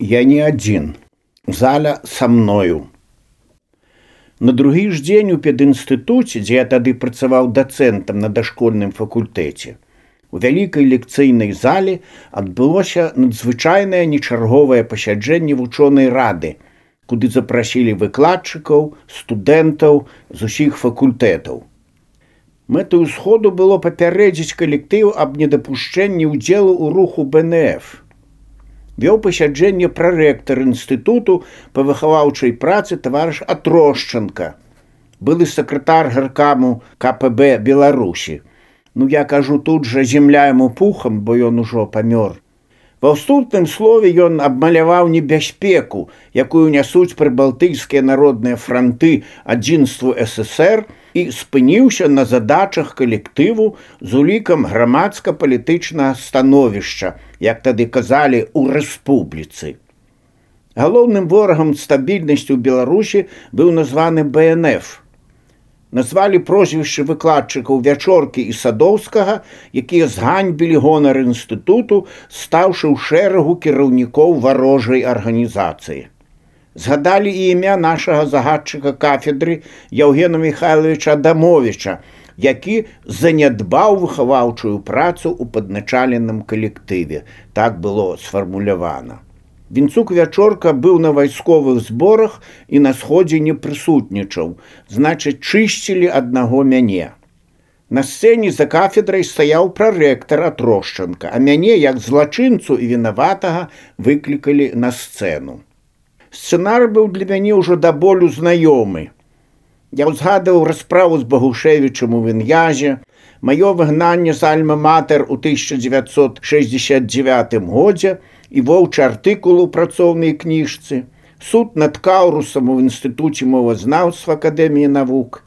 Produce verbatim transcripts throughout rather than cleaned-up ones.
Я не адзін. Заля са мною. На другі ж дзень у педінстытуце, дзе я тады працаваў дацэнтам на дашкольным факультэце, у вялікай лекцыйнай зале адбылося надзвычайнае нечарговае пасяджэнне вучонай рады, куды запрасілі выкладчыкаў, студэнтаў з усіх факультэтаў. Мэтаю сходу было папярэдзіць калектыў аб недапушчэнні ўдзелу ў руху бэ эн эф. Вёў пасяджэнне прарэктар інстытуту па выхаваўчай працы таварыш Атрошчанка, былы сакратар гаркаму ка пэ бэ Беларусі. Ну, я кажу, тут жа земля яму пухам, бо ён ужо памёр. Ва ўступным слове ён абмаляваў небяспеку, якую нясуць прыбалтыйскія народныя франты адзінству эс эс ер, і спыніўся на задачах калектыву з улікам грамадска-палітычнага становішча, як тады казалі, у рэспубліцы. Галоўным ворагам стабільнасці ў Беларусі быў названы бэ эн эф. Назвалі прозвішчы выкладчыкаў Вячоркі і Садоўскага, якія зганьбілі гонар інстытуту, стаўшы ў шэрагу кіраўнікоў варожай арганізацыі. Згадалі і імя нашага загадчыка кафедры Яўгена Михайловича Адамовича, які занядбаў выхаваўчую працу ў падначаленым калектыве. Так было сфармулявана. Вінцук Вячорка быў на вайсковых зборах і на сходзе не прысутнічаў, значыць, чысцілі аднаго мяне. На сцэне за кафедрай стаяў прарэктар Атрошчанка, а мяне, як злачынцу і вінаватага, выклікалі на сцэну. Сцэнар быў для мяне ўжо да болю знаёмы. Я ўзгадываў расправу з Багушевічам у Він'язе, маё выгнанне з Альма-Матэр у тысяча дзевяцьсот шэсцьдзесят дзевятым годзе і воўчы артыкул у працоўнай кніжцы, суд над Каўрусам у Інстытуце мовазнаўства Акадэміі навук.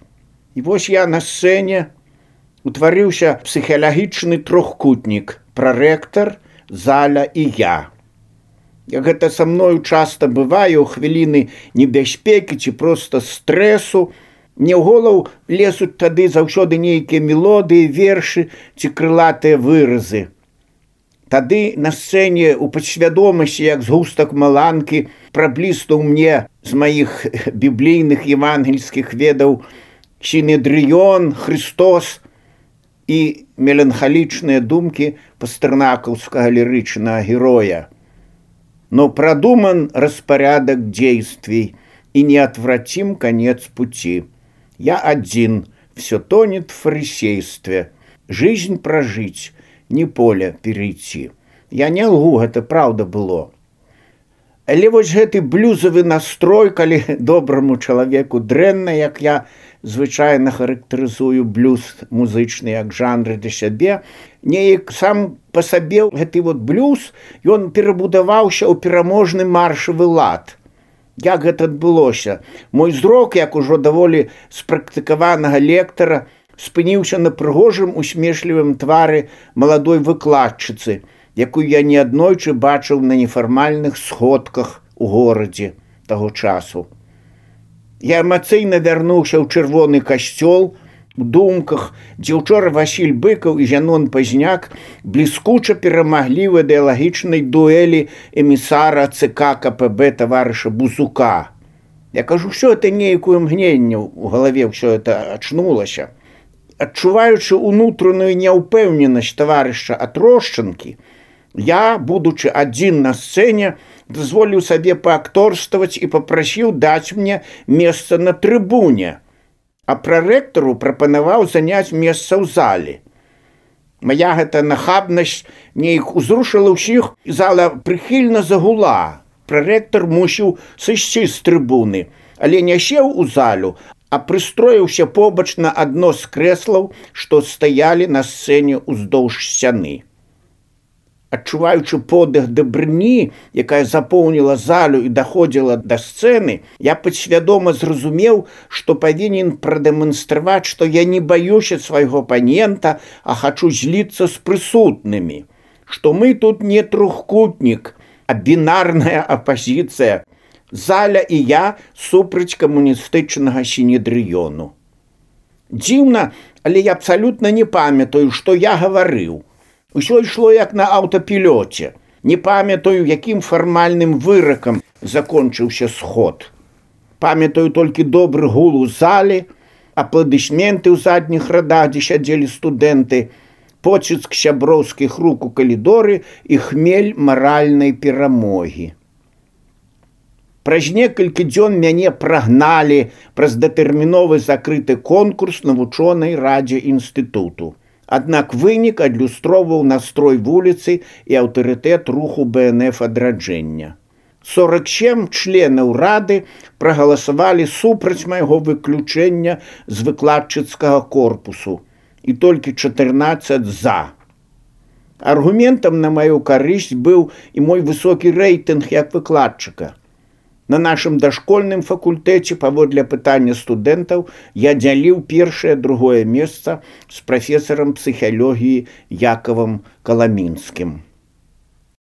І вось я на сцэне утварыўся псіхалагічны трохкутнік: прарэктар, Заля і я. Як гэта са мною часта бывае ў хвіліны небяспекі ці проста стрэсу, мне ў голову лезуць тады заўсёды нейкія мелодыі, вершы ці крылатыя выразы. Тады на сцэне у падсвядомасці, як згустак маланкі, прабліснуў мне з маіх біблійных евангельскіх ведаў Сінедрыён, Христос і меланхалічныя думкі пастэрнакаўскага лірычнага героя. Но продуман распорядок действий, и неотвратим конец пути. Я один, все тонет в фарисействе. Жизнь прожить, не поле перейти. Я не лгу, это правда было. Але вось гэты блюзовый настрой, калі доброму чалавеку дрэнна, як я звычайна характарызую блюз музычны як жанр для сябе, неяк сам па сабе гэты вот блюз, ён перабудаваўся ў пераможны маршавы лад. Як гэта адбылося? Мой зрок, як ужо даволі спрактыкаванага лектара, спыніўся на прыгожым усмешлівым твары маладой выкладчыцы, якую я неаднойчы бачыў на нефармальных сходках у горадзе таго часу. Я эмацыйна вярнуўся ў чырвоны касцёл, у думках, дзе ўчора Васіль Быкаў і Зянон Пазняк бліскуча перамаглі ў ідэалагічнай дуэлі эмісара ЦК ка пэ бэ таварыша Бузука. Я кажу, що это нейкую мгненне у галаве ўсё это ачнулася. Адчуваючы унутраную няўпэўненасць таварыша Атрошчанкі, я, будучы адзін на сцэне, дазволіў сабе паакторстваваць і папрасіў даць мне месца на трыбуне, а прарэктару прапанаваў заняць месца ў зале. Мая гэта нахабнасць нейк узрушыла ўсіх, і зала прыхільна загула. Прарэктар мусіў сысці з трыбуны, але не сеў у залю, а прыстроіўся побач на адно з крэслаў, што стаялі на сцэне ўздоўж сцяны. Адчуваючы подых дабрыні, якая запоўніла залю і даходзіла да сцэны, я падсвядома зразумеў, што павінен прадэманстраваць, што я не баюся свайго апанента, а хачу зліцца з прысутнымі, што мы тут не трохкутнік, а бінарная апазіцыя, Заля і я супраць камуністычнага Сінедрыёну. Дзіўна, але я абсалютна не памятаю, што я гаварыў. Усё ішло як на аўтапілёце. Не памятаю, якім фармальным выракам закончыўся сход. Памятаю толькі добры гул у зале, апладысменты ў задніх радах, дзе сядзелі студэнты, поціск сяброўскіх рук у калідоры і хмель маральнай перамогі. Праз некалькі дзён мяне прагналі праз датэрміновы закрыты конкурс на вучонай радзе інстытуту. Аднак вынік адлюстроўваў настрой вуліцы і аўтарытэт руху бэ эн эф адраджэння. сорок сем членаў рады прагаласавалі супраць майго выключэння з выкладчыцкага корпусу і толькі чатырнаццаць за. Аргументам на маю карысць быў і мой высокі рэйтынг як выкладчыка. На нашым дашкольным факультэце паводле пытання студэнтаў я дзяліў першае-другое месца з прафесарам псіхалогіі Якавам Каламінскім.